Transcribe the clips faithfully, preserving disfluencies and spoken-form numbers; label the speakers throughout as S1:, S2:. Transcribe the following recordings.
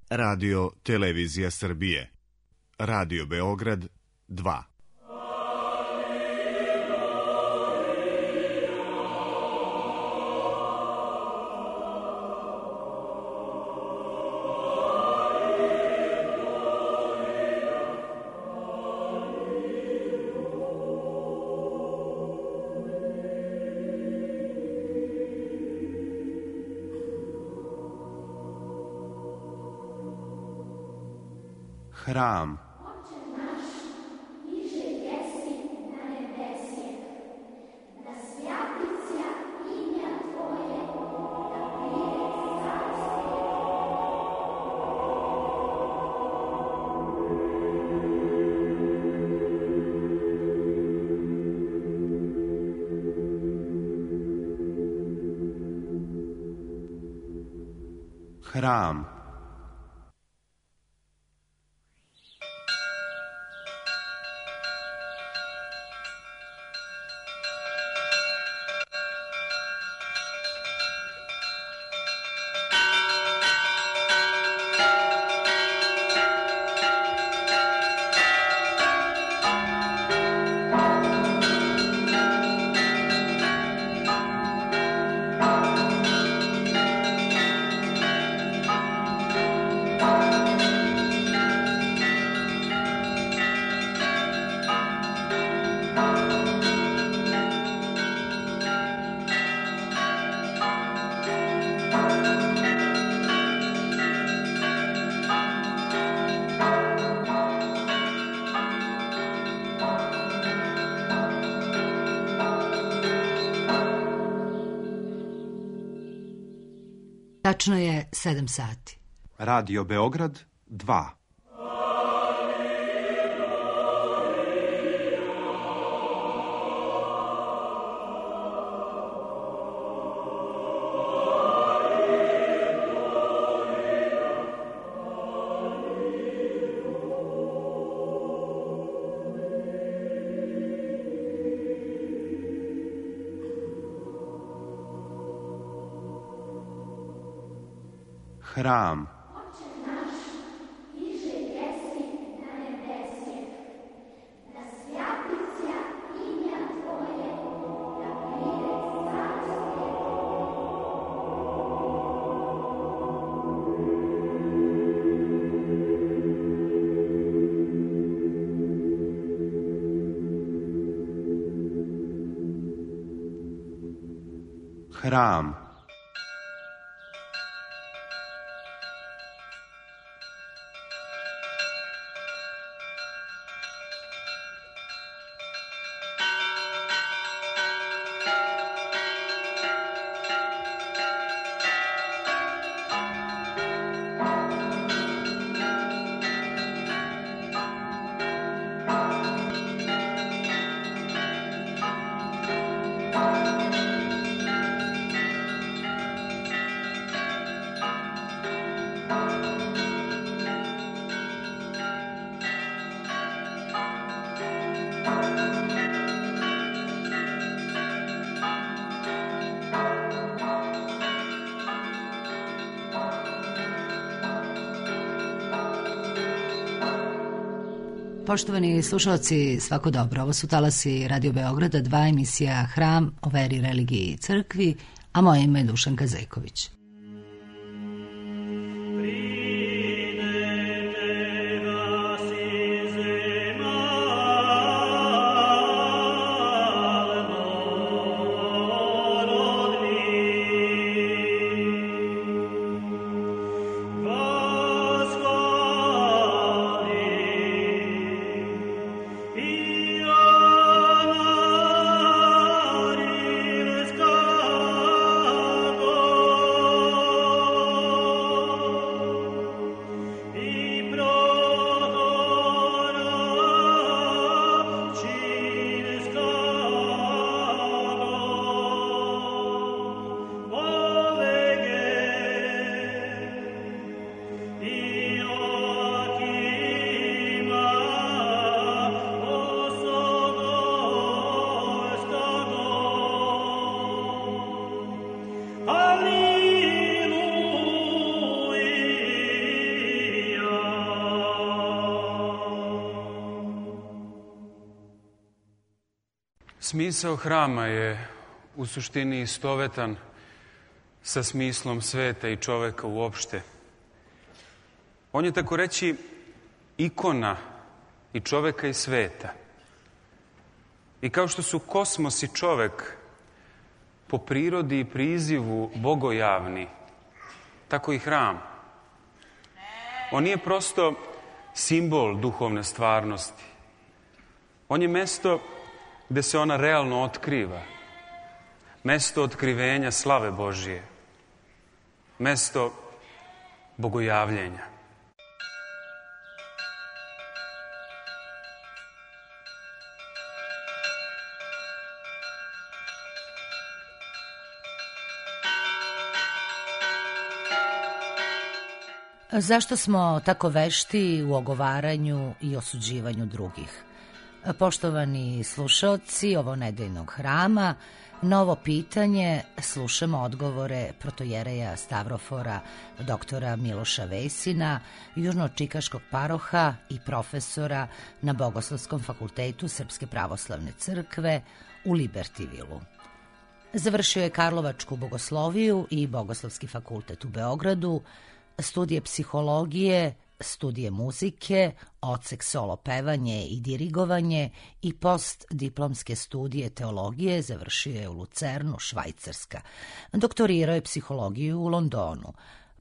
S1: Radio Televizija Srbije. Radio Beograd dva.
S2: Hram.
S3: Oče naš, niže jesi na nebesje, da svjatića imja Tvoje, da prije carstvo.
S2: Hram.
S4: Tačno je sedam sati.
S2: Radio Beograd dva. Hram.
S3: Oče naš, niže jesi na nebesje, da svjatića imja Tvoje, da prije carstvo.
S2: Hram.
S4: Poštovani slušalci, svako dobro. Ovo su talasi Radio Beograda dva, emisija Hram o veri, religiji i crkvi, a moje ime je Dušanka Zajković.
S5: Oh Smisao hrama je u suštini istovetan sa smislom sveta i čoveka uopšte. On je, tako reći, ikona i čoveka i sveta. I kao što su kosmos i čovek po prirodi i prizivu bogojavni, tako i hram. On nije prosto simbol duhovne stvarnosti. On je mesto gde se ona realno otkriva. Mesto otkrivenja slave Božije. Mesto bogojavljenja.
S4: Zašto smo tako vešti u ogovaranju i osuđivanju drugih? Poštovani slušaoci ovo nedeljnog hrama, novo pitanje, slušamo odgovore protojereja Stavrofora, doktora Miloša Vesina, južno-čikaškog paroha i profesora na Bogoslovskom fakultetu Srpske pravoslavne crkve u Libertivilu. Završio je Karlovačku bogosloviju i Bogoslovski fakultet u Beogradu, studije psihologije, studije muzike, odsek solo pevanje i dirigovanje i postdiplomske studije teologije završio je u Lucernu, Švajcarska. Doktorirao je psihologiju u Londonu.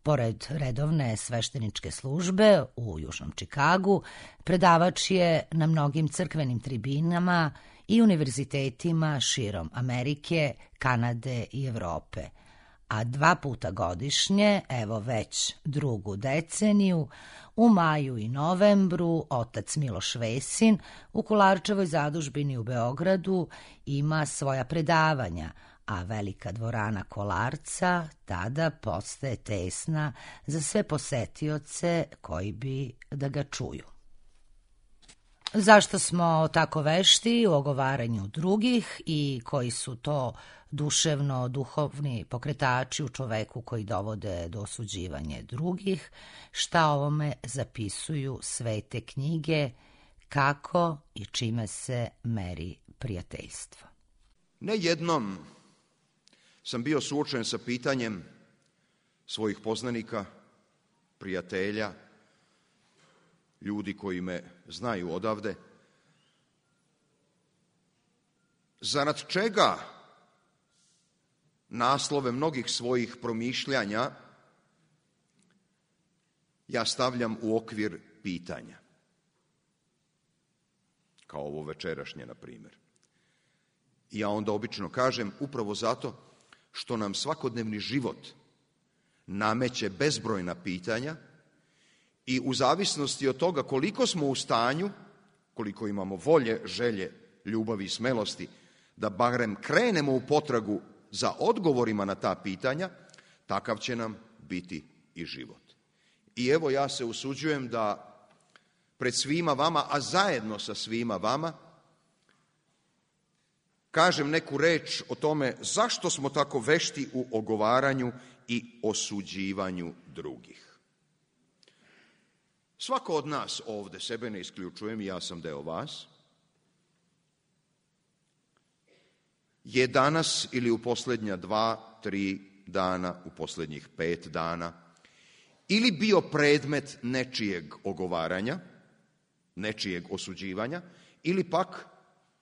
S4: Pored redovne svešteničke službe u Južnom Čikagu, predavač je na mnogim crkvenim tribinama i univerzitetima širom Amerike, Kanade i Evrope. A dva puta godišnje, evo već drugu deceniju, u maju i novembru otac Miloš Vesin u Kolarčevoj zadužbini u Beogradu ima svoja predavanja, a velika dvorana Kolarca tada postaje tesna za sve posetioce koji bi da ga čuju. Zašto smo tako vešti u ogovaranju drugih i koji su to duševno-duhovni pokretači u čoveku koji dovode do osuđivanja drugih, šta ovome zapisuju svete knjige, kako i čime se meri prijateljstvo.
S6: Ne jednom sam bio suočen sa pitanjem svojih poznanika, prijatelja, ljudi koji me znaju odavde, zarad čega naslove mnogih svojih promišljanja ja stavljam u okvir pitanja, kao ovo večerašnje, na primjer. I ja onda obično kažem upravo zato što nam svakodnevni život nameće bezbrojna pitanja i u zavisnosti od toga koliko smo u stanju, koliko imamo volje, želje, ljubavi i smelosti, da barem krenemo u potragu za odgovorima na ta pitanja, takav će nam biti i život. I evo ja se usuđujem da pred svima vama, a zajedno sa svima vama, kažem neku reč o tome zašto smo tako vešti u ogovaranju i osuđivanju drugih. Svako od nas ovde, sebe ne isključujem, ja sam deo vas, je danas ili u posljednja dva, tri dana, u posljednjih pet dana, ili bio predmet nečijeg ogovaranja, nečijeg osuđivanja, ili pak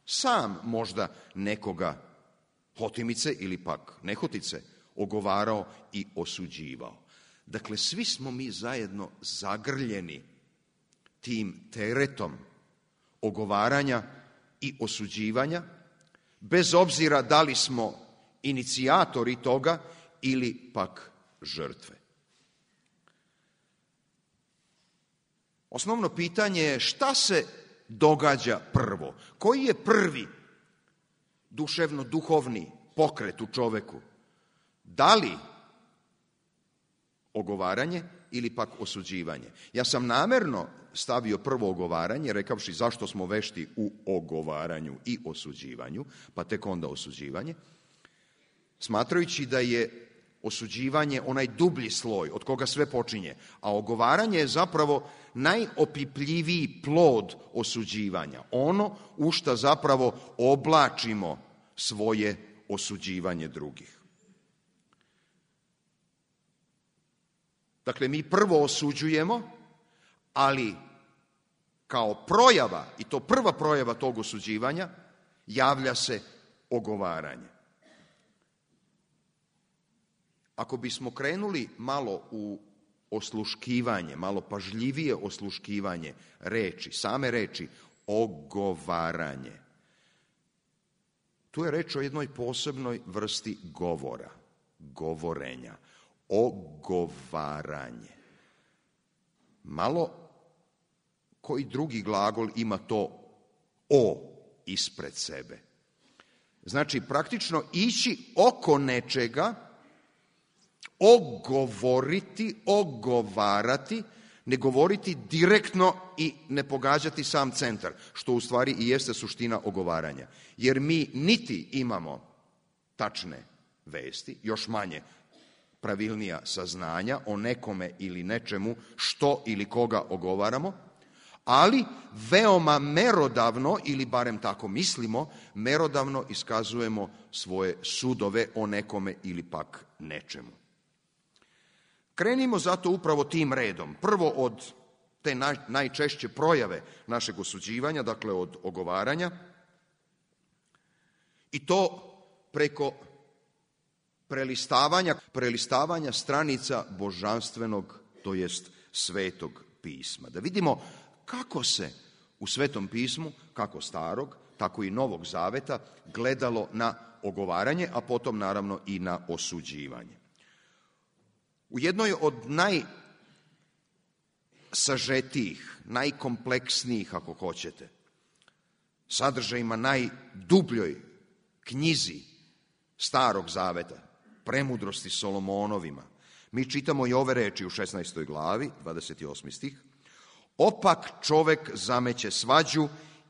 S6: sam možda nekoga hotimice ili pak nehotice ogovarao i osuđivao. Dakle, svi smo mi zajedno zagrljeni tim teretom ogovaranja i osuđivanja, bez obzira da li smo inicijatori toga ili pak žrtve. Osnovno pitanje je šta se događa prvo? Koji je prvi duševno-duhovni pokret u čoveku? Da li ogovaranje ili pak osuđivanje? Ja sam namerno stavio prvo ogovaranje, rekavši zašto smo vešti u ogovaranju i osuđivanju, pa tek onda osuđivanje, smatrajući da je osuđivanje onaj dublji sloj od koga sve počinje, a ogovaranje je zapravo najopipljiviji plod osuđivanja. Ono u šta zapravo oblačimo svoje osuđivanje drugih. Dakle, mi prvo osuđujemo, ali kao projava, i to prva projava tog osuđivanja, javlja se ogovaranje. Ako bismo krenuli malo u osluškivanje, malo pažljivije osluškivanje reči, same reči ogovaranje, tu je reč o jednoj posebnoj vrsti govora, govorenja, ogovaranje. Malo koji drugi glagol ima to o ispred sebe. Znači, praktično ići oko nečega, ogovoriti, ogovarati, ne govoriti direktno i ne pogađati sam centar, što u stvari i jeste suština ogovaranja. Jer mi niti imamo tačne vesti, još manje pravilnija saznanja o nekome ili nečemu što ili koga ogovaramo, ali veoma merodavno, ili barem tako mislimo, merodavno iskazujemo svoje sudove o nekome ili pak nečemu. Krenimo zato upravo tim redom. Prvo od te naj, najčešće projave našeg osuđivanja, dakle od ogovaranja, i to preko prelistavanja, prelistavanja stranica božanstvenog, to jest Svetog pisma. Da vidimo kako se u Svetom pismu, kako Starog, tako i Novog Zaveta, gledalo na ogovaranje, a potom naravno i na osuđivanje. U jednoj od najsažetijih, najkompleksnijih, ako hoćete, sadržajima najdubljoj knjizi Starog Zaveta, Premudrosti Solomonovima, mi čitamo i ove reči u šesnaestoj glavi, dvadeset osmi stih. Opak čovek zameće svađu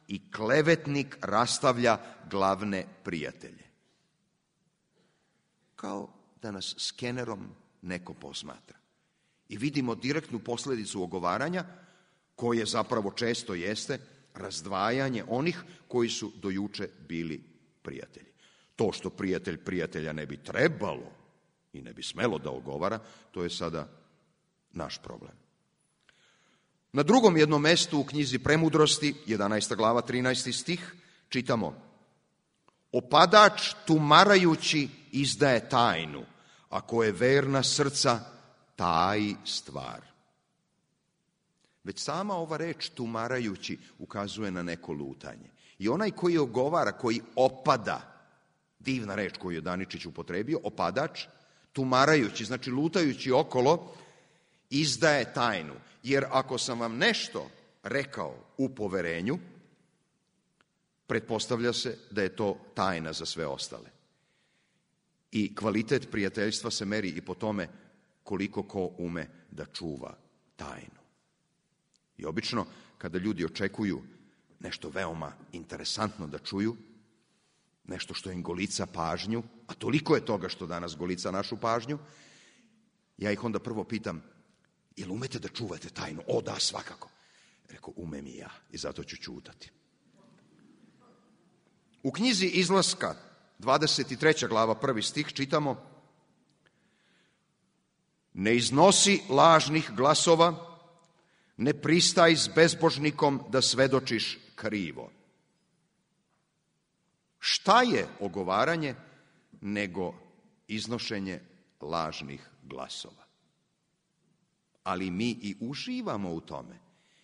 S6: i klevetnik rastavlja glavne prijatelje. Kao da nas skenerom neko posmatra. I vidimo direktnu posledicu ogovaranja, koje zapravo često jeste razdvajanje onih koji su do juče bili prijatelji. To što prijatelj prijatelja ne bi trebalo i ne bi smelo da ogovara, to je sada naš problem. Na drugom jednom mestu u knjizi Premudrosti, jedanaesta glava, trinaesti stih, čitamo: opadač tumarajući izdaje tajnu, ako je verna srca, taji stvar. Već sama ova reč tumarajući ukazuje na neko lutanje. I onaj koji ogovara, koji opada, divna reč koju je Daničić upotrebio, opadač, tumarajući, znači lutajući okolo, izdaje tajnu. Jer ako sam vam nešto rekao u poverenju, pretpostavlja se da je to tajna za sve ostale. I kvalitet prijateljstva se meri i po tome koliko ko ume da čuva tajnu. I obično, kada ljudi očekuju nešto veoma interesantno da čuju, nešto što im golica pažnju, a toliko je toga što danas golica našu pažnju, ja ih onda prvo pitam: jel umete da čuvate tajnu? O, da, svakako. Rekao, umem i ja, i zato ću ćutati. U knjizi Izlaska, dvadeset treća glava, prvi stih, čitamo: ne iznosi lažnih glasova, ne pristaj s bezbožnikom da svedočiš krivo. Šta je ogovaranje nego iznošenje lažnih glasova? Ali mi i uživamo u tome.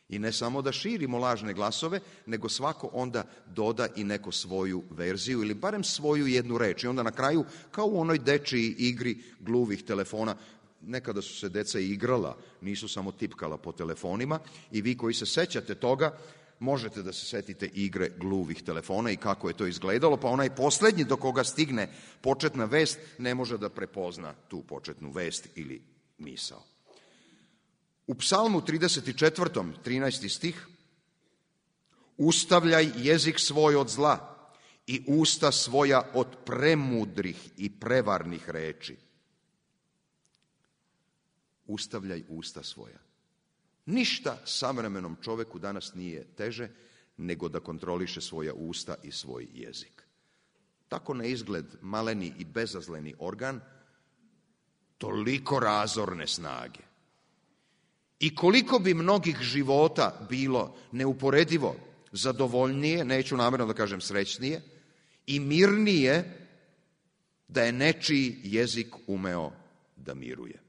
S6: I ne samo da širimo lažne glasove, nego svako onda doda i neko svoju verziju ili barem svoju jednu reč. I onda na kraju, kao u onoj dečiji igri gluvih telefona, nekada su se deca igrala, nisu samo tipkala po telefonima, i vi koji se sećate toga, možete da se setite igre gluvih telefona i kako je to izgledalo, pa onaj poslednji do koga stigne početna vest ne može da prepozna tu početnu vest ili misao. U Psalmu trideset četvrtom, trinaesti stih, ustavljaj jezik svoj od zla i usta svoja od premudrih i prevarnih reči. ustavljaj usta svoja. Ništa savremenom čoveku danas nije teže nego da kontroliše svoja usta i svoj jezik. Tako na izgled maleni i bezazleni organ, toliko razorne snage. I koliko bi mnogih života bilo neuporedivo zadovoljnije, neću namjerno da kažem srećnije, i mirnije da je nečiji jezik umeo da miruje.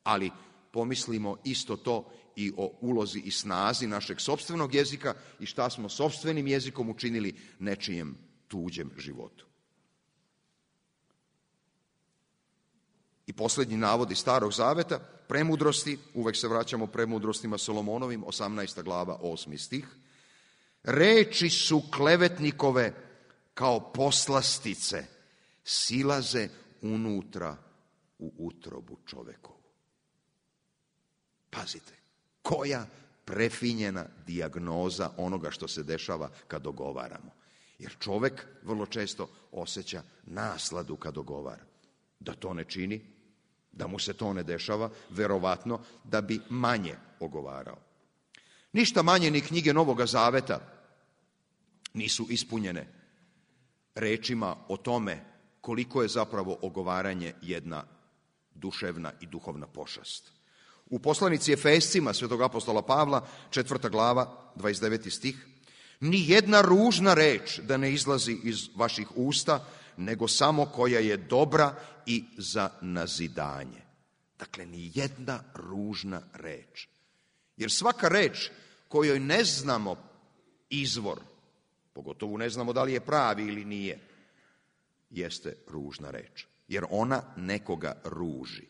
S6: Ali pomislimo isto to i o ulozi i snazi našeg sopstvenog jezika i šta smo sopstvenim jezikom učinili nečijem tuđem životu. I posljednji navod iz Starog zaveta, premudrosti, uvek se vraćamo premudrostima Solomonovim, osamnaesta glava, osmi stih. Reči su klevetnikove kao poslastice, silaze unutra u utrobu čovekovu. Pazite, koja prefinjena dijagnoza onoga što se dešava kad dogovaramo. Jer čovek vrlo često osjeća nasladu kad dogovara. Da to ne čini, da mu se to ne dešava, verovatno da bi manje ogovarao. Ništa manje ni knjige Novoga Zaveta nisu ispunjene rečima o tome koliko je zapravo ogovaranje jedna duševna i duhovna pošast. U poslanici Efescima svetog apostola Pavla, četvrta glava, dvadeset deveti stih, ni jedna ružna reč da ne izlazi iz vaših usta, nego samo koja je dobra i za nazidanje. Dakle, ni jedna ružna reč. Jer svaka reč kojoj ne znamo izvor, pogotovo ne znamo da li je pravi ili nije, jeste ružna reč. Jer ona nekoga ruži.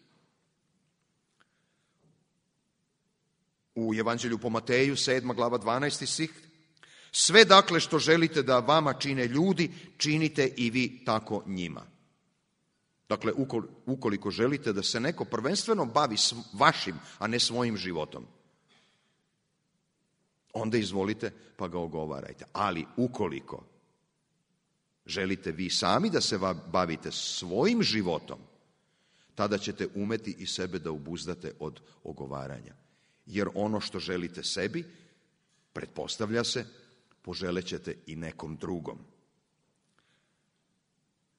S6: U Evanđelju po Mateju, sedma glava, dvanaesti stih, sve dakle što želite da vama čine ljudi, činite i vi tako njima. Dakle, ukoliko želite da se neko prvenstveno bavi vašim, a ne svojim životom, onda izvolite pa ga ogovarajte. Ali ukoliko želite vi sami da se bavite svojim životom, tada ćete umeti i sebe da obuzdate od ogovaranja. Jer ono što želite sebi, pretpostavlja se, poželećete i nekom drugom.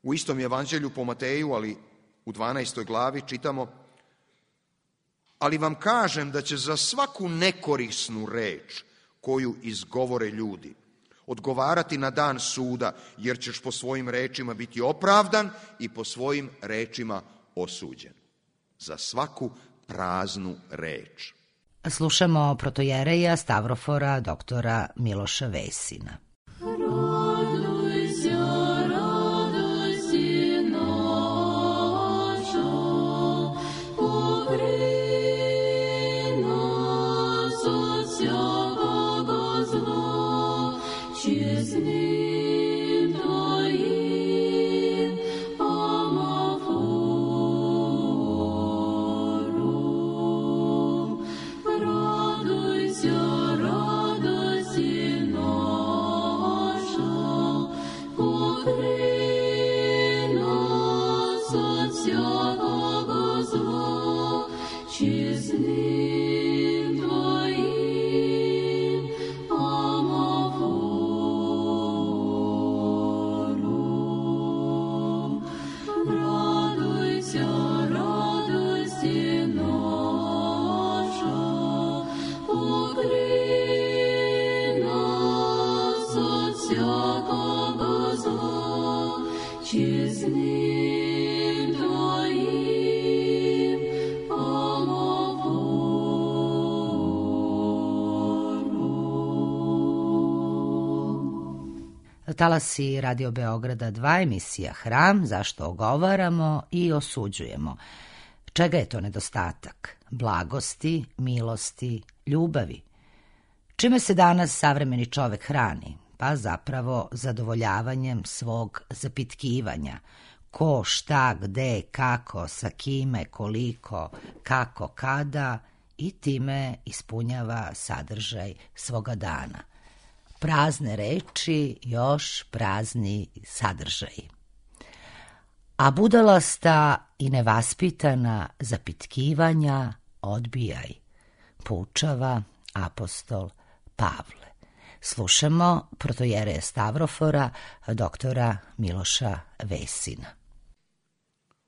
S6: U istom Evanđelju po Mateju, ali u dvanaestoj glavi čitamo: ali vam kažem da će za svaku nekorisnu reč koju izgovore ljudi odgovarati na dan suda, jer ćeš po svojim rečima biti opravdan i po svojim rečima osuđen. Za svaku praznu reč.
S4: Slušamo protojereja Stavrofora doktora Miloša Vesina. Talasi Radio Beograda dva, emisija Hram, zašto ogovaramo i osuđujemo. Čega je to nedostatak? Blagosti, milosti, ljubavi. Čime se danas savremeni čovek hrani? Pa zapravo zadovoljavanjem svog zapitkivanja. Ko, šta, gde, kako, sa kime, koliko, kako, kada, i time ispunjava sadržaj svoga dana. Prazne reči, još prazni sadržaji. A budalasta i nevaspitana zapitkivanja odbijaj, poučava apostol Pavle. Slušamo protojereja Stavrofora, doktora Miloša Vesina.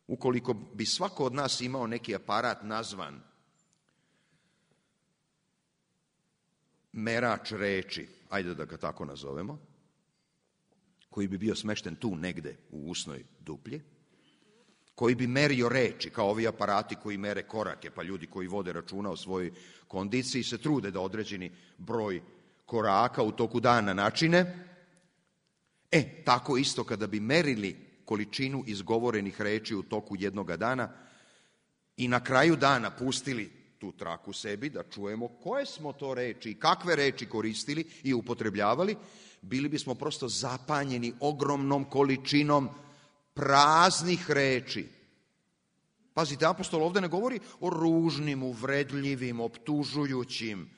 S6: Ukoliko bi svako od nas imao neki aparat nazvan merač reči, ajde da ga tako nazovemo, koji bi bio smešten tu negde u usnoj duplji, koji bi merio reči, kao ovi aparati koji mere korake, pa ljudi koji vode računa o svojoj kondiciji se trude da određeni broj koraka u toku dana načine. E, tako isto kada bi merili količinu izgovorenih reči u toku jednoga dana i na kraju dana pustili tu traku sebi da čujemo koje smo to reči i kakve reči koristili i upotrebljavali, bili bismo prosto zapanjeni ogromnom količinom praznih reči. Pazite, apostol ovde ne govori o ružnim, uvredljivim, optužujućim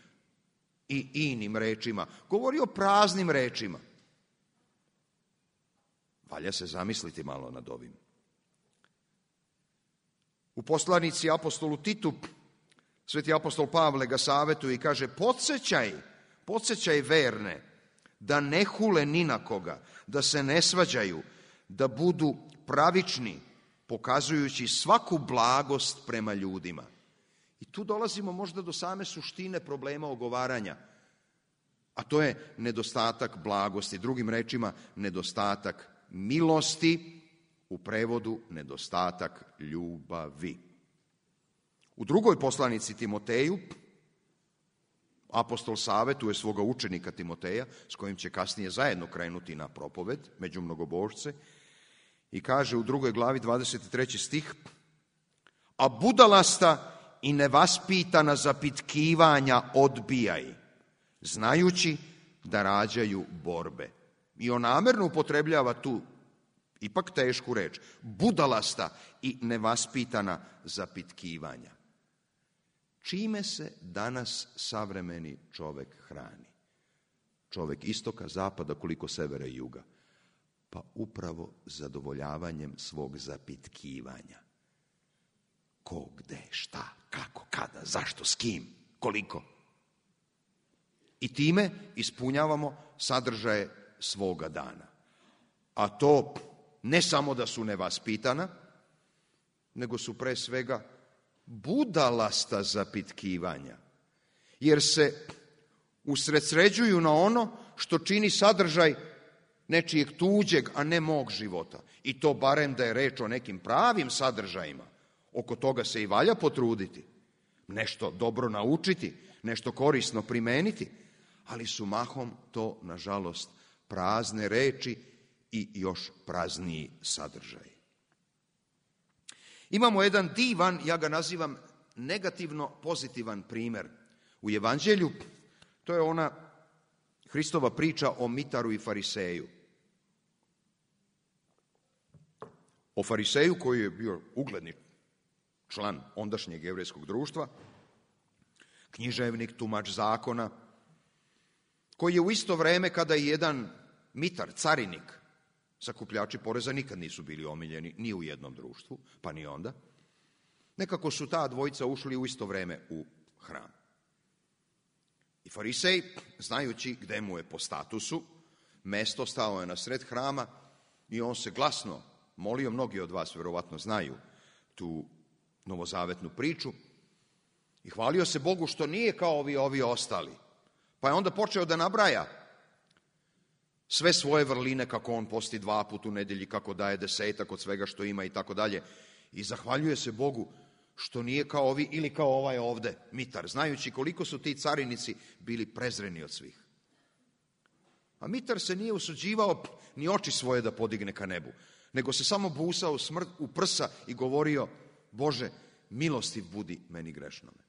S6: i inim rečima. Govori o praznim rečima. Valja se zamisliti malo nad ovim. U poslanici apostolu Titu, sveti apostol Pavle ga savetuje i kaže: podsjećaj, podsjećaj verne, da ne hule ni na koga, da se ne svađaju, da budu pravični, pokazujući svaku blagost prema ljudima. I tu dolazimo možda do same suštine problema ogovaranja, a to je nedostatak blagosti. Drugim rečima, nedostatak milosti, u prevodu nedostatak ljubavi. U drugoj poslanici Timoteju, apostol savetuje svoga učenika Timoteja, s kojim će kasnije zajedno krenuti na propoved među mnogobožce, i kaže u drugoj glavi dvadeset treći stih: a budalasta i nevaspitana zapitkivanja odbijaj, znajući da rađaju borbe. I on namerno upotrebljava tu ipak tešku reč, budalasta i nevaspitana zapitkivanja. Čime se danas savremeni čovek hrani? Čovek istoka, zapada, koliko severa i juga? Pa upravo zadovoljavanjem svog zapitkivanja. Ko, gde, šta, kako, kada, zašto, s kim, koliko. I time ispunjavamo sadržaje svoga dana. A to ne samo da su nevaspitana, nego su pre svega budalasta zapitkivanja, jer se usredsređuju na ono što čini sadržaj nečijeg tuđeg, a ne mog života. I to barem da je reč o nekim pravim sadržajima. Oko toga se i valja potruditi. Nešto dobro naučiti, nešto korisno primeniti, ali su mahom to, nažalost, prazne reči i još prazniji sadržaj. Imamo jedan divan, ja ga nazivam negativno pozitivan primer u Evanđelju. To je ona Hristova priča o mitaru i fariseju. O fariseju koji je bio ugledni član ondašnjeg jevrejskog društva, književnik, tumač zakona, koji je u isto vreme kada je jedan mitar, carinik, sakupljači poreza nikad nisu bili omiljeni ni u jednom društvu, pa ni onda. Nekako su ta dvojica ušli u isto vreme u hram. I farisej, znajući gde mu je po statusu mesto, stao je na sred hrama i on se glasno molio, mnogi od vas verovatno znaju tu novozavetnu priču, i hvalio se Bogu što nije kao ovi, ovi ostali. Pa je onda počeo da nabraja sve svoje vrline, kako on posti dva put u nedelji, kako daje desetak od svega što ima i tako dalje. I zahvaljuje se Bogu što nije kao ovi ili kao ovaj ovde, mitar, znajući koliko su ti carinici bili prezreni od svih. A mitar se nije usuđivao ni oči svoje da podigne ka nebu, nego se samo busao smrt u prsa i govorio: Bože, milostiv budi meni grešnome.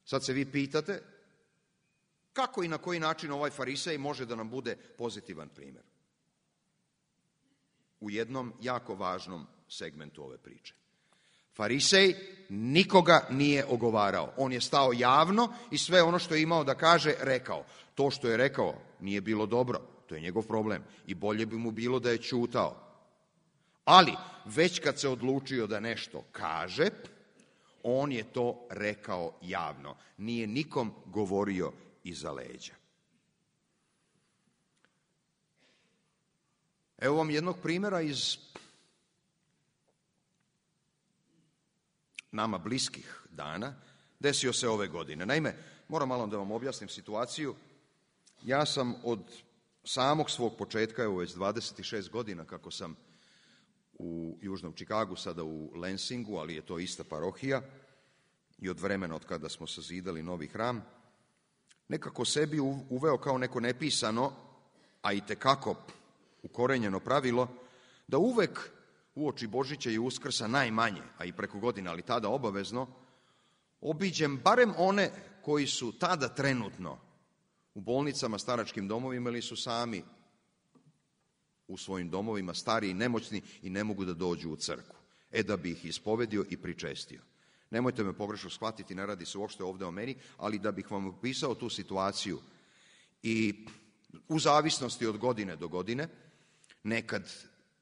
S6: Sad se vi pitate kako i na koji način ovaj farisej može da nam bude pozitivan primjer u jednom jako važnom segmentu ove priče. Farisej nikoga nije ogovarao. On je stao javno i sve ono što je imao da kaže rekao. To što je rekao nije bilo dobro, to je njegov problem i bolje bi mu bilo da je ćutao. Ali, već kad se odlučio da nešto kaže, on je to rekao javno. Nije nikom govorio iza leđa. Evo vam jednog primjera iz nama bliskih dana. Desio se ove godine. Naime, moram malo da vam objasnim situaciju. Ja sam od samog svog početka, evo već dvadeset šest godina kako sam u Južnom Čikagu, sada u Lensingu, ali je to ista parohija, i od vremena od kada smo sazidali novi hram, nekako sebi uveo kao neko nepisano, a i tekako ukorenjeno pravilo, da uvek uoči Božića i Uskrsa najmanje, a i preko godina, ali tada obavezno, obiđem barem one koji su tada trenutno u bolnicama, staračkim domovima ili su sami u svojim domovima, stari i nemoćni i ne mogu da dođu u crkvu. E da bi ih ispovedio i pričestio. Nemojte me pogrešno shvatiti, ne radi se uopšte ovde o meni, ali da bih vam opisao tu situaciju. I u zavisnosti od godine do godine, nekad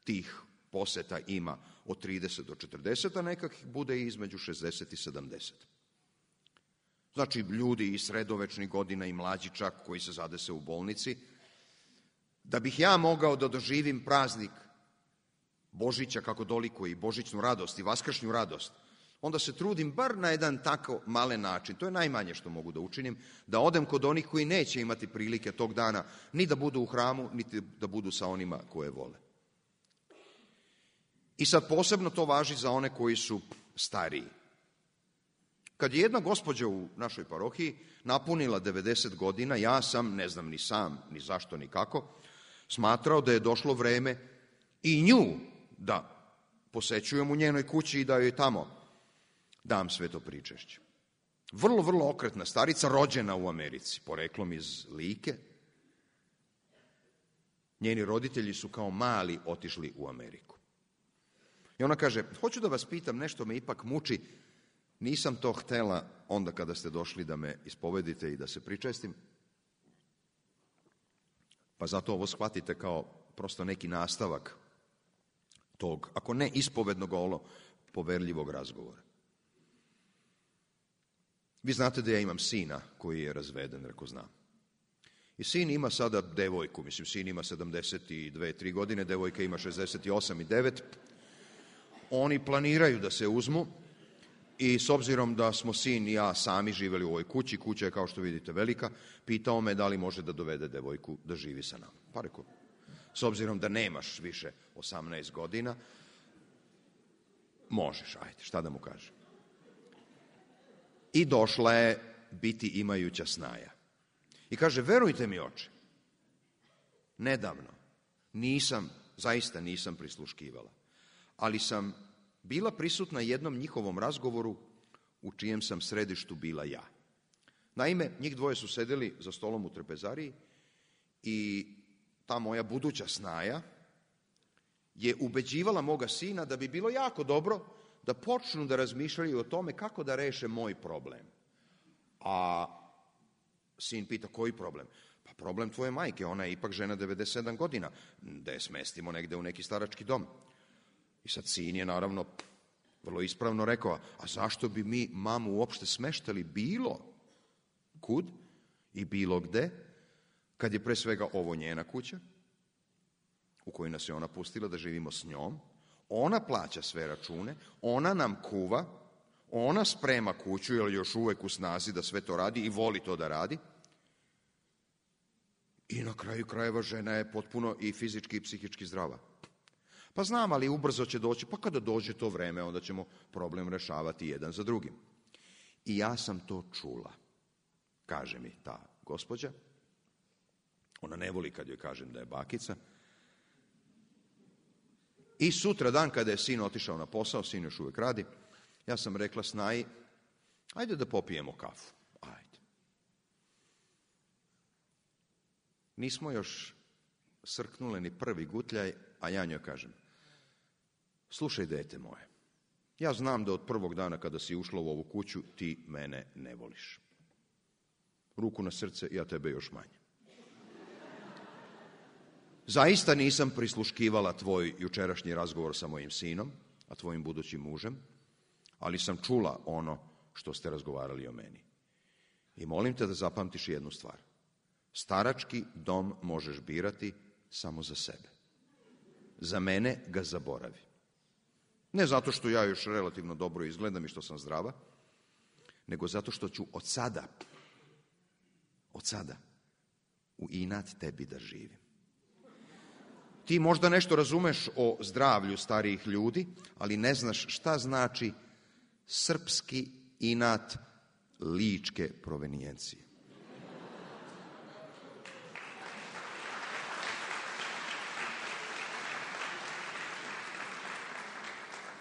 S6: tih poseta ima od trideset do četrdeset, a nekak bude i između šezdeset i sedamdeset. Znači, ljudi iz sredovečnih godina i mlađi čak koji se zadese u bolnici. Da bih ja mogao da doživim praznik Božića kako dolikuje i božićnu radost i vaskršnju radost, onda se trudim bar na jedan tako malen način, to je najmanje što mogu da učinim, da odem kod onih koji neće imati prilike tog dana ni da budu u hramu, niti da budu sa onima koje vole. I sad posebno to važi za one koji su stariji. Kad je jedna gospođa u našoj parohiji napunila devedeset godina, ja sam, ne znam ni sam, ni zašto, ni kako, smatrao da je došlo vreme i nju da posećujem u njenoj kući i da joj tamo dam sveto pričešće. Vrlo, vrlo okretna starica, rođena u Americi, poreklom iz Like. Njeni roditelji su kao mali otišli u Ameriku. I ona kaže, hoću da vas pitam, nešto me ipak muči, nisam to htela onda kada ste došli da me ispovedite i da se pričestim, pa zato ovo shvatite kao prosto neki nastavak tog, ako ne ispovednog, olo poverljivog razgovora. Vi znate da ja imam sina koji je razveden, reko znam. I sin ima sada devojku, mislim, sin ima sedamdeset dve tri godine, devojka ima šezdeset osam i devet. Oni planiraju da se uzmu i s obzirom da smo sin i ja sami živeli u ovoj kući, kuća je kao što vidite velika, pitao me da li može da dovede devojku da živi sa nama. Pa rekao, s obzirom da nemaš više osamnaest godina, možeš, ajde, šta da mu kažem. I došla je biti imajuća snaja. I kaže, verujte mi, oče, nedavno nisam, zaista nisam prisluškivala, ali sam bila prisutna jednom njihovom razgovoru u čijem sam središtu bila ja. Naime, njih dvoje su sedeli za stolom u trpezariji i ta moja buduća snaja je ubeđivala moga sina da bi bilo jako dobro da počnu da razmišljaju o tome kako da reše moj problem. A sin pita, koji problem? Pa problem tvoje majke, ona je ipak žena devedeset sedam godina, da je smestimo negde u neki starački dom. I sad sin je naravno vrlo ispravno rekao, a zašto bi mi mamu uopšte smeštali bilo kud i bilo gde, kad je pre svega ovo njena kuća, u kojoj nas je ona pustila da živimo s njom, ona plaća sve račune, ona nam kuva, ona sprema kuću, jer još uvek u snazi da sve to radi i voli to da radi. I na kraju krajeva žena je potpuno i fizički i psihički zdrava. Pa znam, ali ubrzo će doći, pa kada dođe to vreme, onda ćemo problem rešavati jedan za drugim. I ja sam to čula, kaže mi ta gospođa. Ona ne voli kad joj kažem da je bakica. I sutra dan kada je sin otišao na posao, sin još uvek radi, ja sam rekla snaji, ajde da popijemo kafu. Ajde. Nismo još srknule ni prvi gutljaj, a ja njoj kažem, slušaj, dete moje, ja znam da od prvog dana kada si ušla u ovu kuću ti mene ne voliš. Ruku na srce, ja tebe još manje. zaista nisam prisluškivala tvoj jučerašnji razgovor sa mojim sinom, a tvojim budućim mužem, ali sam čula ono što ste razgovarali o meni. I molim te da zapamtiš jednu stvar. Starački dom možeš birati samo za sebe. Za mene ga zaboravi. Ne zato što ja još relativno dobro izgledam i što sam zdrava, nego zato što ću od sada, od sada, u inat tebi da živim. Ti možda nešto razumeš o zdravlju starijih ljudi, ali ne znaš šta znači srpski inat ličke provenijencije.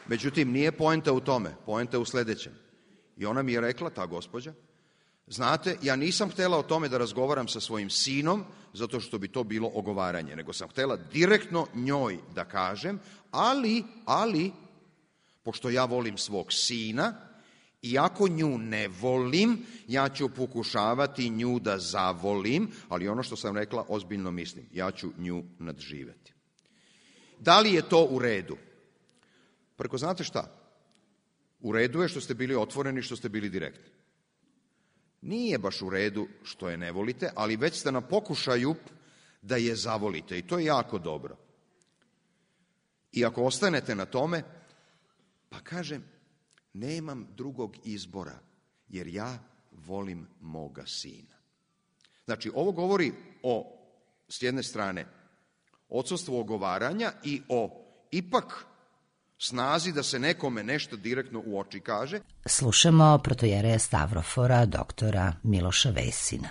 S6: Međutim, nije poenta u tome, poenta je u sledećem. I ona mi je rekla, ta gospođa, znate, ja nisam htela o tome da razgovaram sa svojim sinom, zato što bi to bilo ogovaranje, nego sam htela direktno njoj da kažem, ali, ali, pošto ja volim svog sina, i ako nju ne volim, ja ću pokušavati nju da zavolim, ali ono što sam rekla ozbiljno mislim, ja ću nju nadživeti. Da li je to u redu? Preko, znate šta? U redu je što ste bili otvoreni, što ste bili direktni. Nije baš u redu što je ne volite, ali već ste na pokušaju da je zavolite i to je jako dobro. I ako ostanete na tome, pa kažem, nemam drugog izbora, jer ja volim moga sina. Znači, ovo govori o, s jedne strane, odsustvu ogovaranja i o ipak snazi da se nekome nešto direktno u oči kaže.
S4: Slušamo protojereja Stavrofora, doktora Miloša Vesina.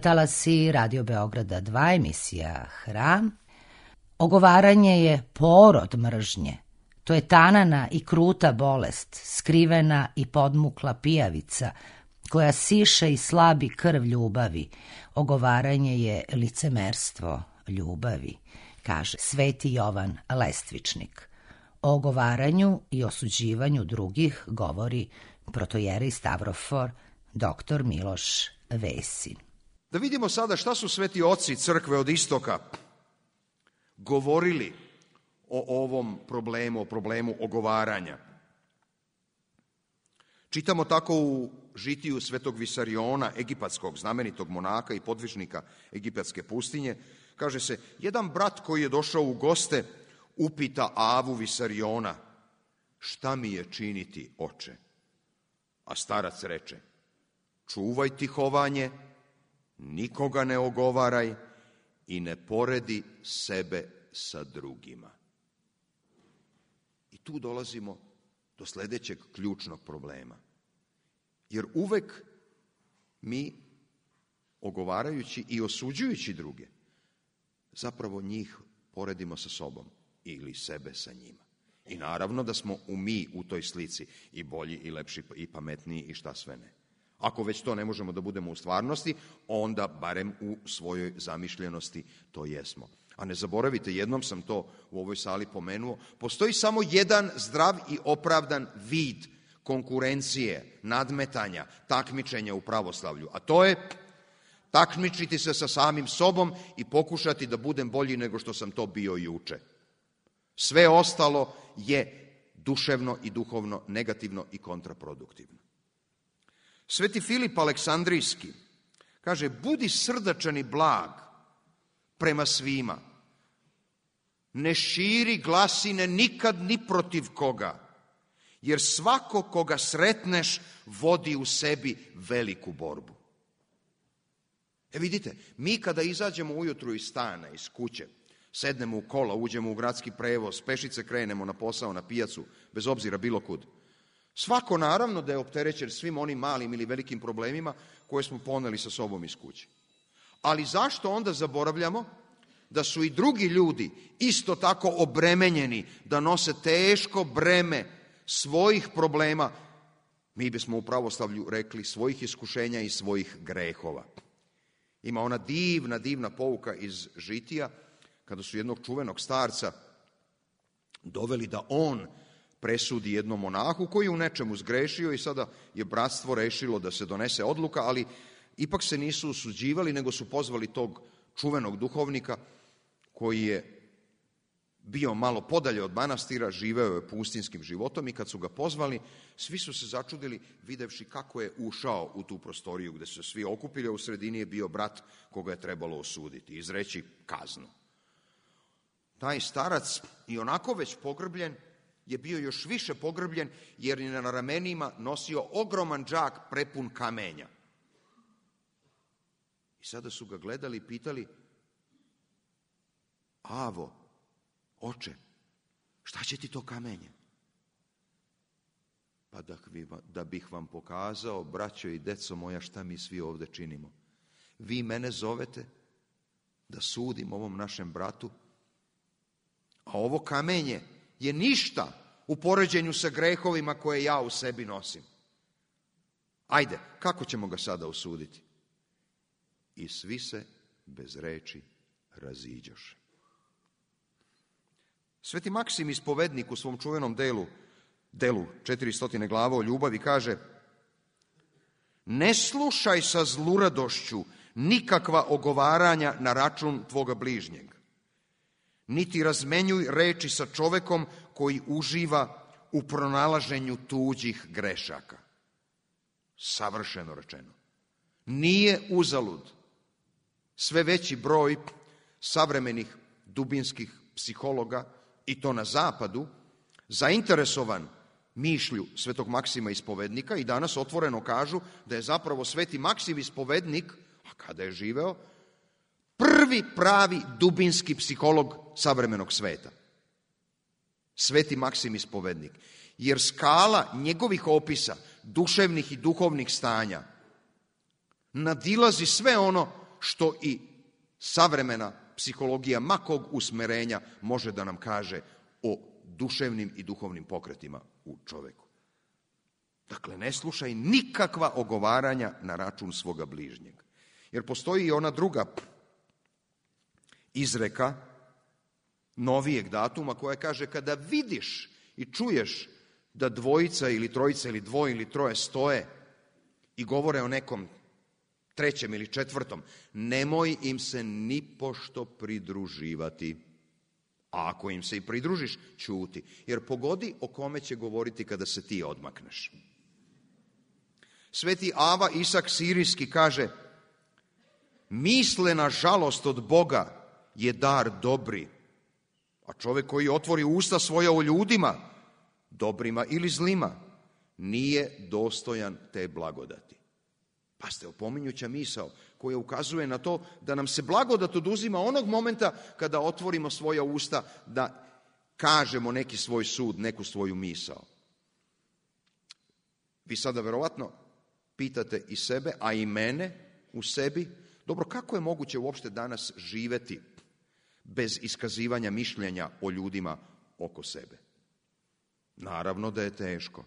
S4: Talasi Radio Beograda dva, emisija Hram. Ogovaranje je porod mržnje. To je tanana i kruta bolest, skrivena i podmukla pijavica, koja siše i slabi krv ljubavi. Ogovaranje je licemerstvo ljubavi, kaže Sveti Jovan Lestvičnik. O ogovaranju i osuđivanju drugih govori protojerej Stavrofor, doktor Miloš Vesin.
S6: Da vidimo sada šta su sveti oci crkve od istoka govorili o ovom problemu, o problemu ogovaranja. Čitamo tako u žitiju svetog Visariona, egipatskog znamenitog monaka i podvižnika egipatske pustinje. Kaže se, jedan brat koji je došao u goste upita Avu Visariona, šta mi je činiti, oče? A starac reče, čuvaj tihovanje, nikoga ne ogovaraj i ne poredi sebe sa drugima. I tu dolazimo do sledećeg ključnog problema. Jer uvek mi, ogovarajući i osuđujući druge, zapravo njih poredimo sa sobom ili sebe sa njima. I naravno da smo u mi u toj slici i bolji i lepši i pametniji i šta sve ne. Ako već to ne možemo da budemo u stvarnosti, onda barem u svojoj zamišljenosti to jesmo. A ne zaboravite, jednom sam to u ovoj sali pomenuo, postoji samo jedan zdrav i opravdan vid konkurencije, nadmetanja, takmičenja u pravoslavlju, a to je takmičiti se sa samim sobom i pokušati da budem bolji nego što sam to bio juče. Sve ostalo je duševno i duhovno negativno i kontraproduktivno. Sveti Filip Aleksandrijski kaže, budi srdačan i blag prema svima. Ne širi glasine nikad ni protiv koga, jer svako koga sretneš vodi u sebi veliku borbu. E vidite, mi kada izađemo ujutru iz stana, iz kuće, sednemo u kola, uđemo u gradski prevoz, pešice krenemo na posao, na pijacu, bez obzira bilo kud. Svako naravno da je opterećen svim onim malim ili velikim problemima koje smo poneli sa sobom iz kuće. Ali zašto onda zaboravljamo da su i drugi ljudi isto tako obremenjeni, da nose teško breme svojih problema, mi bismo u pravoslavlju rekli svojih iskušenja i svojih grehova. Ima ona divna, divna pouka iz Žitija, kada su jednog čuvenog starca doveli da on presudi jednom monahu koji je u nečemu zgrešio i sada je bratstvo rešilo da se donese odluka, ali ipak se nisu osuđivali, nego su pozvali tog čuvenog duhovnika koji je bio malo podalje od manastira, živeo je pustinskim životom i kad su ga pozvali, svi su se začudili videvši kako je ušao u tu prostoriju gde su se svi okupili, a u sredini je bio brat koga je trebalo osuditi, izreći kaznu. Taj starac, i onako već pogrbljen, je bio još više pogrbljen jer je na ramenima nosio ogroman džak prepun kamenja. I sada su ga gledali i pitali, Avo, oče, šta će ti to kamenje? Pa da, da bih vam pokazao, braćo i deco moja, šta mi svi ovde činimo. Vi mene zovete da sudim ovom našem bratu, a ovo kamenje je ništa u poređenju sa grehovima koje ja u sebi nosim. Ajde, kako ćemo ga sada osuditi? I svi se bez reči raziđoše. Sveti Maksim ispovednik u svom čuvenom delu, delu četiristo glava o ljubavi kaže, ne slušaj sa zluradošću nikakva ogovaranja na račun tvoga bližnjeg, niti razmenjuj reči sa čovekom koji uživa u pronalaženju tuđih grešaka. Savršeno rečeno. Nije uzalud sve veći broj savremenih dubinskih psihologa, i to na zapadu, zainteresovan mišlju svetog Maksima ispovednika i danas otvoreno kažu da je zapravo sveti Maksim ispovednik, a kada je živeo, prvi pravi dubinski psiholog savremenog sveta. Sveti Maksim ispovednik. Jer skala njegovih opisa duševnih i duhovnih stanja nadilazi sve ono što i savremena psihologija makog usmerenja može da nam kaže o duševnim i duhovnim pokretima u čoveku. Dakle, ne slušaj nikakva ogovaranja na račun svoga bližnjeg. Jer postoji i ona druga izreka novijeg datuma koja kaže kada vidiš i čuješ da dvojica ili trojica ili dvoje ili troje stoje i govore o nekom trećem ili četvrtom, nemoj im se nipošto pridruživati. A ako im se i pridružiš, ćuti. Jer pogodi o kome će govoriti kada se ti odmakneš. Sveti Ava Isak Sirijski kaže, misle na žalost od Boga je dar dobri, a čovjek koji otvori usta svoja o ljudima, dobrima ili zlima, nije dostojan te blagodati. Pa ste opominjuća misao koja ukazuje na to da nam se blagodat oduzima onog momenta kada otvorimo svoja usta da kažemo neki svoj sud, neku svoju misao. Vi sada verovatno pitate i sebe, a i mene u sebi, dobro, kako je moguće uopšte danas živeti bez iskazivanja mišljenja o ljudima oko sebe? Naravno da je teško.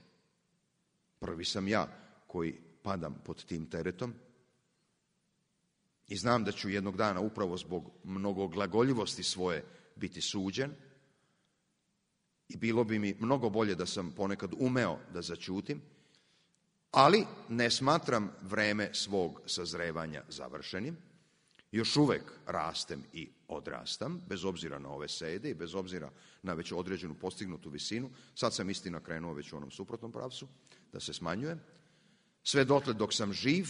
S6: Prvi sam ja koji padam pod tim teretom i znam da ću jednog dana upravo zbog mnogoglagoljivosti svoje biti suđen i bilo bi mi mnogo bolje da sam ponekad umeo da zaćutim, ali ne smatram vreme svog sazrevanja završenim. Još uvek rastem i odrastam, bez obzira na ove sede i bez obzira na već određenu postignutu visinu. Sad sam istina krenuo već u onom suprotnom pravcu, da se smanjujem. Sve dotle dok sam živ,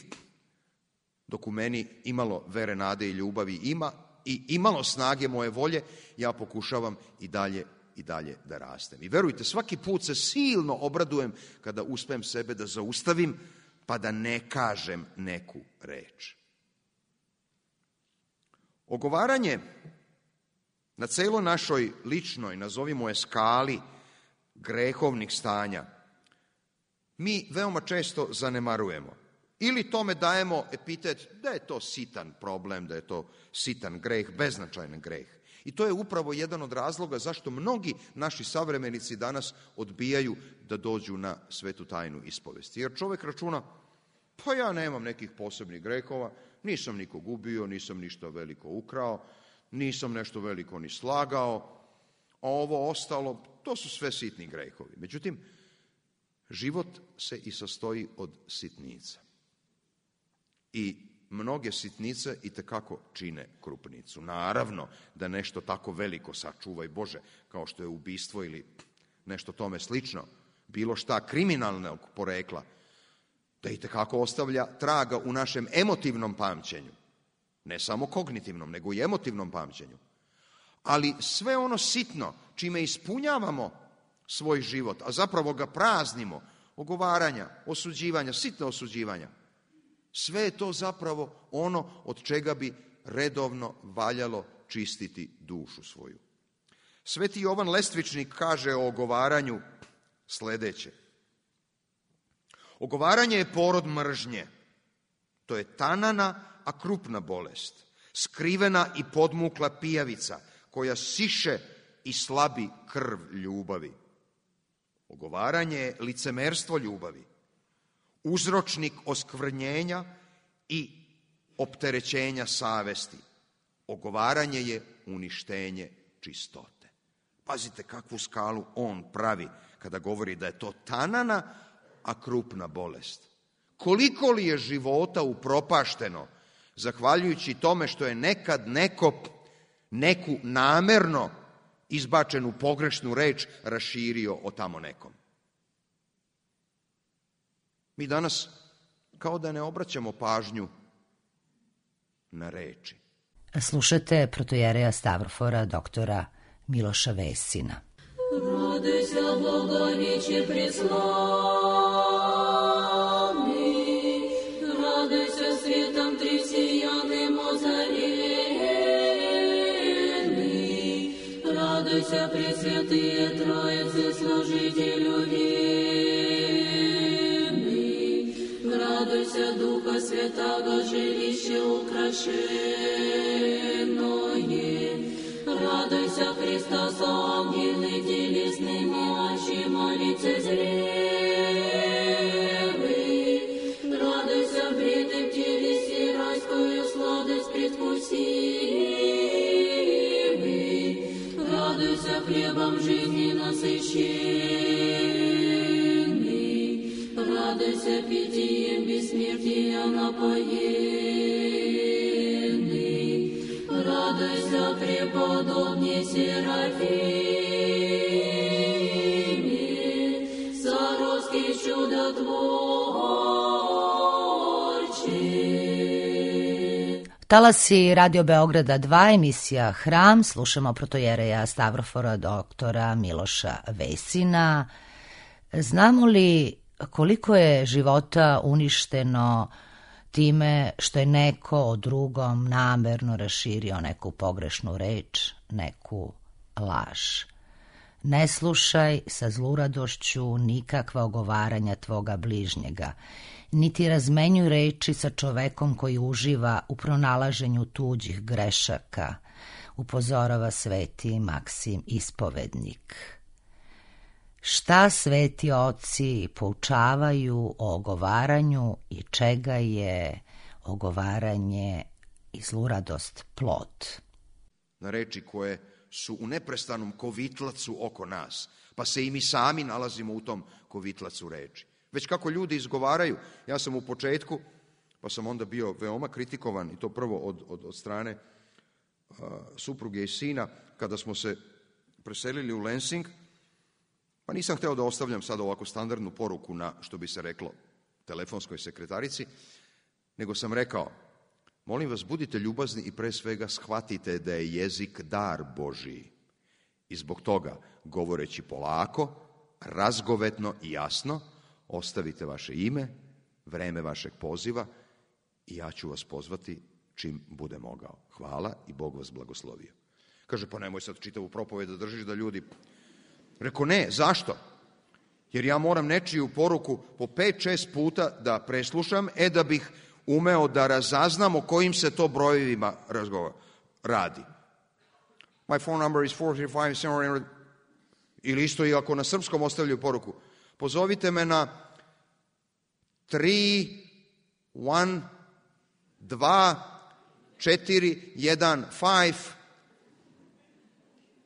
S6: dok u meni imalo vere, nade i ljubavi ima i imalo snage moje volje, ja pokušavam i dalje i dalje da rastem. I verujte, svaki put se silno obradujem kada uspem sebe da zaustavim, pa da ne kažem neku reč. Ogovaranje na celoj našoj ličnoj, nazovimo je skali, grehovnih stanja, mi veoma često zanemarujemo. Ili tome dajemo epitet da je to sitan problem, da je to sitan greh, beznačajan greh. I to je upravo jedan od razloga zašto mnogi naši savremenici danas odbijaju da dođu na svetu tajnu ispovesti. Jer čovek računa, pa ja nemam nekih posebnih grehova, nisam nikog ubio, nisam ništa veliko ukrao, nisam nešto veliko ni slagao, a ovo ostalo, to su sve sitni grehovi. Međutim, život se i sastoji od sitnica. I mnoge sitnice i tekako čine krupnicu. Naravno da nešto tako veliko, sačuvaj Bože, kao što je ubistvo ili nešto tome slično, bilo šta kriminalnog porekla, da i tekako ostavlja traga u našem emotivnom pamćenju. Ne samo kognitivnom, nego i emotivnom pamćenju. Ali sve ono sitno, čime ispunjavamo svoj život, a zapravo ga praznimo, ogovaranja, osuđivanja, sitna osuđivanja, sve je to zapravo ono od čega bi redovno valjalo čistiti dušu svoju. Sveti Jovan Lestvičnik kaže o ogovaranju sledeće. Ogovaranje je porod mržnje. To je tanana, a krupna bolest. Skrivena i podmukla pijavica koja siše i slabi krv ljubavi. Ogovaranje je licemerstvo ljubavi. Uzročnik oskvrnjenja i opterećenja savesti. Ogovaranje je uništenje čistote. Pazite kakvu skalu on pravi kada govori da je to tanana, a krupna bolest. Koliko li je života upropašteno zahvaljujući tome što je nekad neko neku namerno izbačenu pogrešnu reč raširio o tamo nekom. Mi danas kao da ne obraćamo pažnju na reči.
S4: Slušate protojereja Stavrofora doktora Miloša Vesina.
S7: Радуйся, Боговиче преславный, радуйся светом тресияным озаренный, радуйся, пресвятые Троицы, служителю верный, радуйся, Духа Святаго, жилище украшенное, радуйся, Христос, ангелы телесными очима лицезревый, радуйся, бритым телеси райскую сладость предвкусивый, радуйся, хлебом жизни насыщенный, радуйся, питьем бессмертия напоенный, радуйся, преподобный Серафиме, Саровский чудотворче.
S4: Talasi Radio Beograda dva, emisija Hram, slušamo protojereja Stavrofora doktora Miloša Vesina. Znamo li koliko je života uništeno time što je neko o drugom namerno raširio neku pogrešnu reč, neku laž? Ne slušaj sa zluradošću nikakva ogovaranja tvoga bližnjega, niti razmenjuj reči sa čovekom koji uživa u pronalaženju tuđih grešaka, upozorava sveti Maksim Ispovednik. Šta sveti oci poučavaju o ogovaranju i čega je ogovaranje i zluradost plod?
S6: Na reči koje su u neprestanom kovitlacu oko nas, pa se i mi sami nalazimo u tom kovitlacu reči. Već kako ljudi izgovaraju, ja sam u početku, pa sam onda bio veoma kritikovan, i to prvo od, od, od strane uh, supruge i sina, kada smo se preselili u Lensing, pa nisam hteo da ostavljam sad ovako standardnu poruku na, što bi se reklo, telefonskoj sekretarici, nego sam rekao, molim vas, budite ljubazni i pre svega shvatite da je jezik dar Božiji. I zbog toga, govoreći polako, razgovetno i jasno, ostavite vaše ime, vreme vašeg poziva i ja ću vas pozvati čim bude mogao. Hvala i Bog vas blagoslovio. Kaže, pa nemoj sad čitavu propoved da držiš da ljudi... Reko, ne, zašto? Jer ja moram nečiju poruku po pet, šest puta da preslušam, e da bih umeo da razaznam o kojim se to brojevima razgovara, radi. My phone number is four three five seven... Ili isto i ako na srpskom ostavljaju poruku. Pozovite me na tri, jedan, dva, četiri, jedan, pet,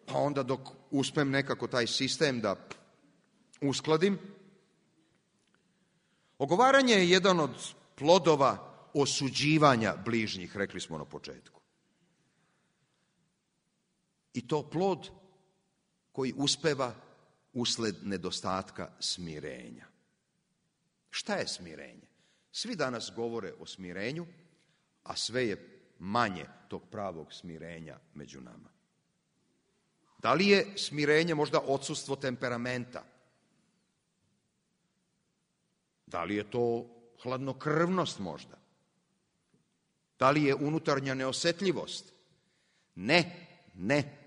S6: pa onda dok uspem nekako taj sistem da uskladim. Ogovaranje je jedan od plodova osuđivanja bližnjih, rekli smo na početku. I to plod koji uspeva usled nedostatka smirenja. Šta je smirenje? Svi danas govore o smirenju, a sve je manje tog pravog smirenja među nama. Da li je smirenje možda odsustvo temperamenta? Da li je to hladnokrvnost možda? Da li je unutarnja neosetljivost? Ne, ne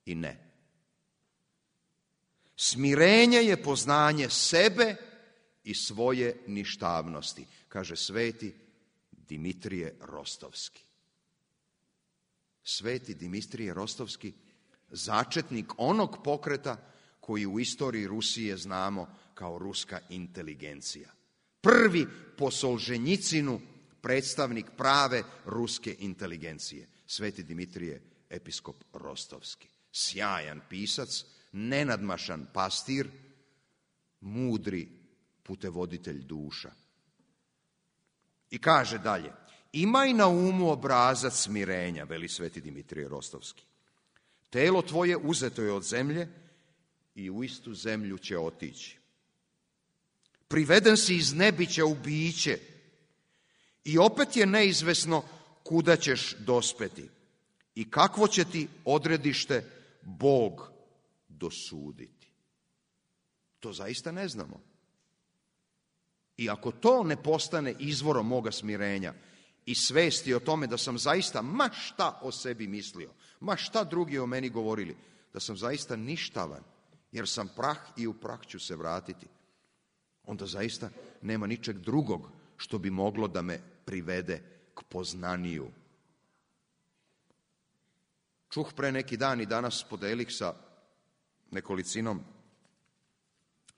S6: i ne. Smirenje je poznanje sebe i svoje ništavnosti, kaže sveti Dimitrije Rostovski. Sveti Dimitrije Rostovski, začetnik onog pokreta koji u istoriji Rusije znamo kao ruska inteligencija. Prvi po Solženjicinu predstavnik prave ruske inteligencije. Sveti Dimitrije, episkop Rostovski. Sjajan pisac, nenadmašan pastir, mudri putevoditelj duša. I kaže dalje, imaj na umu obrazac smirenja, veli sveti Dimitrije Rostovski. Telo tvoje uzeto je od zemlje i u istu zemlju će otići. Priveden si iz nebića u biće i opet je neizvesno kuda ćeš dospeti i kakvo će ti odredište Bog dosuditi. To zaista ne znamo. I ako to ne postane izvorom moga smirenja i svesti o tome da sam zaista ma šta o sebi mislio, ma šta drugi o meni govorili, da sam zaista ništavan, jer sam prah i u prah ću se vratiti, onda zaista nema ničeg drugog što bi moglo da me privede k poznaniju. Čuh pre neki dan i danas podelik sa nekolicinom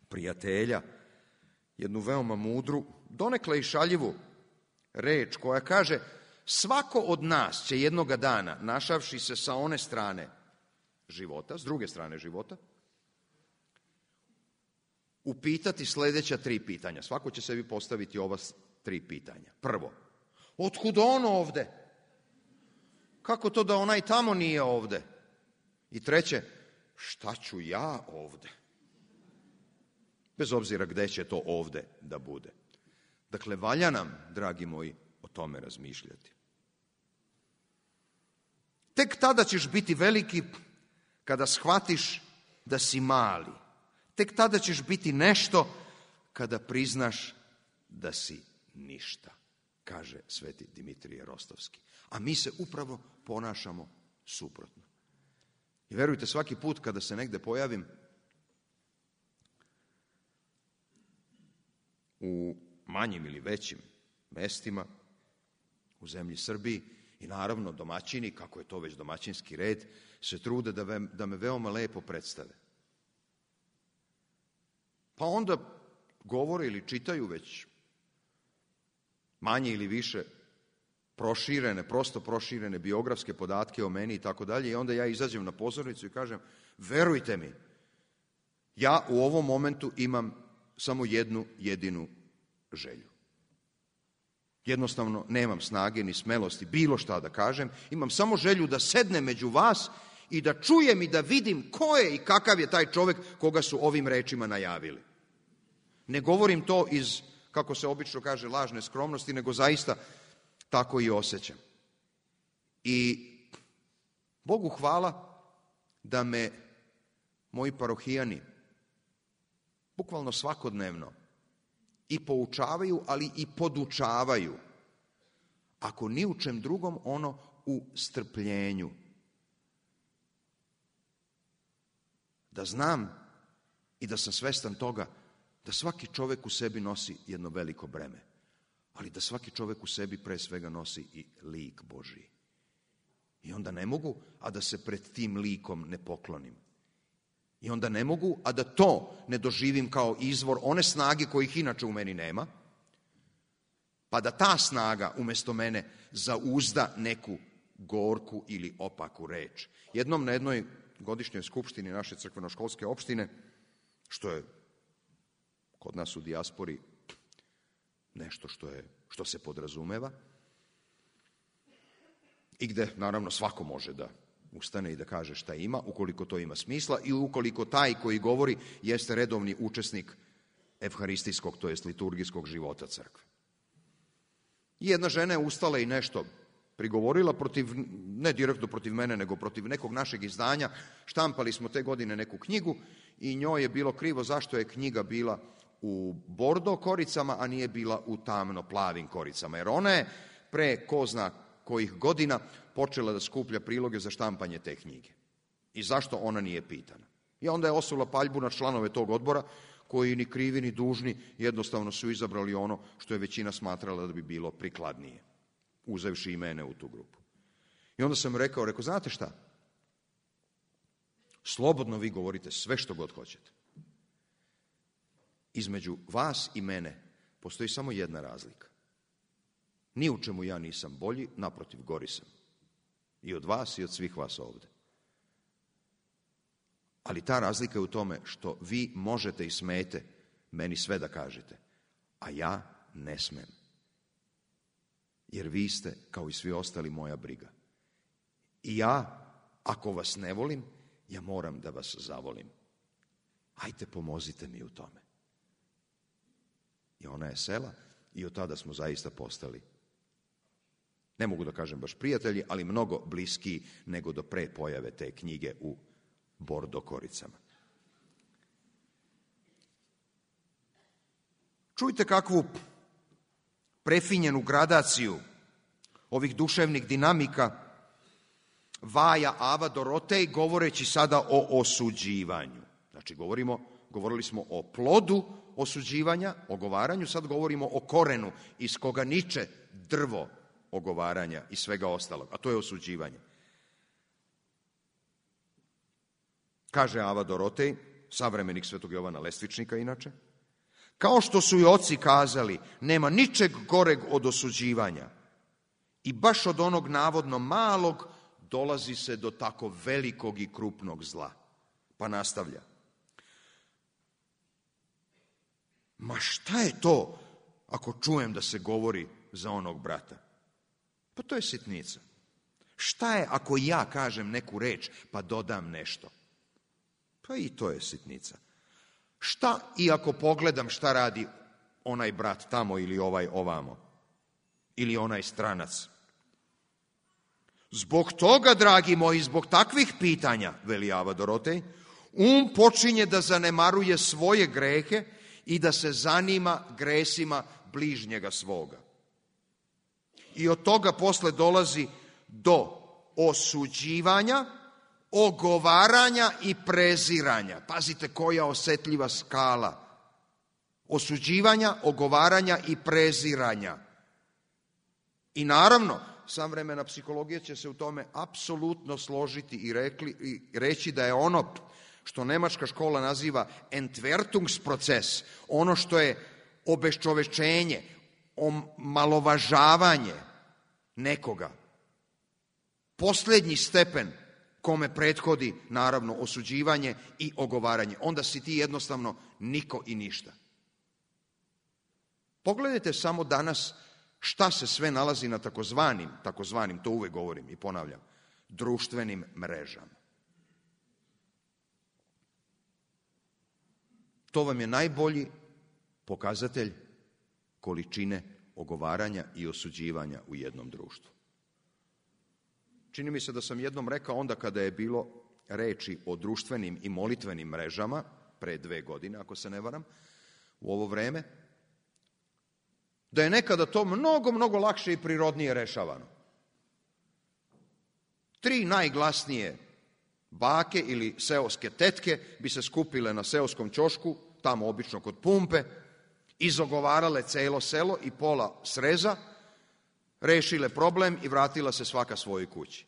S6: prijatelja jednu veoma mudru, donekle i šaljivu reč koja kaže svako od nas će jednoga dana, našavši se sa one strane života, s druge strane života, upitati sljedeća tri pitanja. Svako će sebi postaviti ova tri pitanja. Prvo, otkud on ovde? Kako to da onaj tamo nije ovde? I treće, šta ću ja ovde? Bez obzira gde će to ovde da bude. Dakle, valja nam, dragi moji, o tome razmišljati. Tek tada ćeš biti veliki kada shvatiš da si mali. Tek tada ćeš biti nešto kada priznaš da si ništa, kaže sveti Dimitrije Rostovski. A mi se upravo ponašamo suprotno. I verujte, svaki put kada se negde pojavim u manjim ili većim mestima u zemlji Srbiji, i naravno domaćini, kako je to već domaćinski red, se trude da, ve, da me veoma lepo predstave. Pa onda govore ili čitaju već manje ili više proširene, prosto proširene biografske podatke o meni i tako dalje, i onda ja izađem na pozornicu i kažem, verujte mi, ja u ovom momentu imam samo jednu jedinu želju. Jednostavno nemam snage ni smelosti bilo šta da kažem, imam samo želju da sednem među vas i da čujem i da vidim ko je i kakav je taj čovek koga su ovim rečima najavili. Ne govorim to iz, kako se obično kaže, lažne skromnosti, nego zaista tako i osjećam. I Bogu hvala da me moji parohijani bukvalno svakodnevno i poučavaju, ali i podučavaju. Ako ni u čem drugom, ono u strpljenju. Da znam i da sam svestan toga da svaki čovek u sebi nosi jedno veliko breme, ali da svaki čovek u sebi pre svega nosi i lik Božiji. I onda ne mogu, a da se pred tim likom ne poklonim. I onda ne mogu, a da to ne doživim kao izvor one snage kojih inače u meni nema, pa da ta snaga umesto mene zauzda neku gorku ili opaku reč. Jednom na jednoj godišnjoj skupštini naše crkveno-školske opštine, što je kod nas u dijaspori nešto što, je, što se podrazumeva, i gde naravno svako može da ustane i da kaže šta ima, ukoliko to ima smisla i ukoliko taj koji govori jeste redovni učesnik evharistijskog, to jest liturgijskog života crkve. I jedna žena je ustala i nešto prigovorila protiv, ne direktno protiv mene, nego protiv nekog našeg izdanja. Štampali smo te godine neku knjigu i njoj je bilo krivo zašto je knjiga bila u bordo koricama, a nije bila u tamno plavim koricama. Jer ona je pre ko zna kojih godina počela da skuplja priloge za štampanje te knjige. I zašto ona nije pitana. I onda je osula paljbu na članove tog odbora, koji ni krivi ni dužni jednostavno su izabrali ono što je većina smatrala da bi bilo prikladnije, uzevši i mene u tu grupu. I onda sam rekao, rekao, znate šta? Slobodno vi govorite sve što god hoćete. Između vas i mene postoji samo jedna razlika. Ni u čemu ja nisam bolji, naprotiv, gori sam. I od vas i od svih vas ovde. Ali ta razlika je u tome što vi možete i smete meni sve da kažete, a ja ne smem. Jer vi ste, kao i svi ostali, moja briga. I ja, ako vas ne volim, ja moram da vas zavolim. Ajte, pomozite mi u tome. I ona je sela i od tada smo zaista postali, ne mogu da kažem baš prijatelji, ali mnogo bliskiji nego do pre pojave te knjige u bordo koricama. Čujte kakvu prefinjenu gradaciju ovih duševnih dinamika vaja Ava Dorotej, govoreći sada o osuđivanju. Znači, govorimo, govorili smo o plodu osuđivanja, ogovaranju, sad govorimo o korenu iz koga niče drvo ogovaranja i svega ostalog, a to je osuđivanje. Kaže Ava Dorotej, savremenik Svetog Jovana Lestvičnika inače, kao što su i oci kazali, nema ničeg goreg od osuđivanja i baš od onog navodno malog dolazi se do tako velikog i krupnog zla. Pa nastavlja. Ma šta je to ako čujem da se govori za onog brata? Pa to je sitnica. Šta je ako ja kažem neku reč pa dodam nešto? Pa i to je sitnica. Šta i ako pogledam šta radi onaj brat tamo ili ovaj ovamo? Ili onaj stranac? Zbog toga, dragi moji, zbog takvih pitanja, veli Ava Dorotej, um počinje da zanemaruje svoje grehe i da se zanima gresima bližnjega svoga. I od toga posle dolazi do osuđivanja ogovaranja i preziranja. Pazite koja osetljiva skala. Osuđivanja, ogovaranja i preziranja. I naravno, savremena psihologija će se u tome apsolutno složiti i, rekli, i reći da je ono što nemačka škola naziva Entwertungsproces, ono što je obeščovečenje, omalovažavanje nekoga, posljednji stepen kome prethodi naravno osuđivanje i ogovaranje. Onda si ti jednostavno niko i ništa. Pogledajte samo danas šta se sve nalazi na takozvanim, takozvanim, to uvek govorim i ponavljam, društvenim mrežama. To vam je najbolji pokazatelj količine ogovaranja i osuđivanja u jednom društvu. Čini mi se da sam jednom rekao onda kada je bilo reči o društvenim i molitvenim mrežama, pre dve godine, ako se ne varam, u ovo vreme, da je nekada to mnogo, mnogo lakše i prirodnije rešavano. Tri najglasnije bake ili seoske tetke bi se skupile na seoskom ćošku, tamo obično kod pumpe, izogovarale celo selo i pola Sreza, rešile problem i vratila se svaka svojoj kući.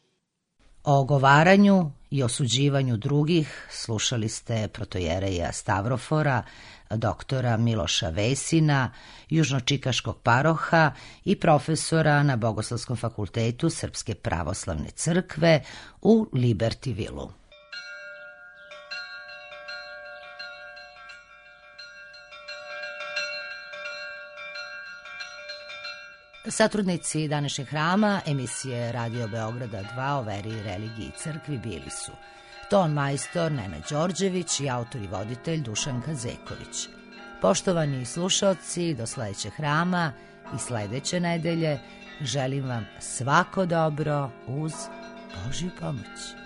S4: O ogovaranju i osuđivanju drugih slušali ste protojereja Stavrofora, doktora Miloša Vesina, južnočikaškog paroha i profesora na Bogoslovskom fakultetu Srpske pravoslavne crkve u Libertyvilu. Satrudnici današnjeg hrama emisije Radio Beograda dva o veri, religiji i crkvi bili su ton majstor Nenad Đorđević i autor i voditelj Dušan Kazeković. Poštovani slušaoci, do sledećeg hrama i sledeće nedelje želim vam svako dobro uz Božju pomoć.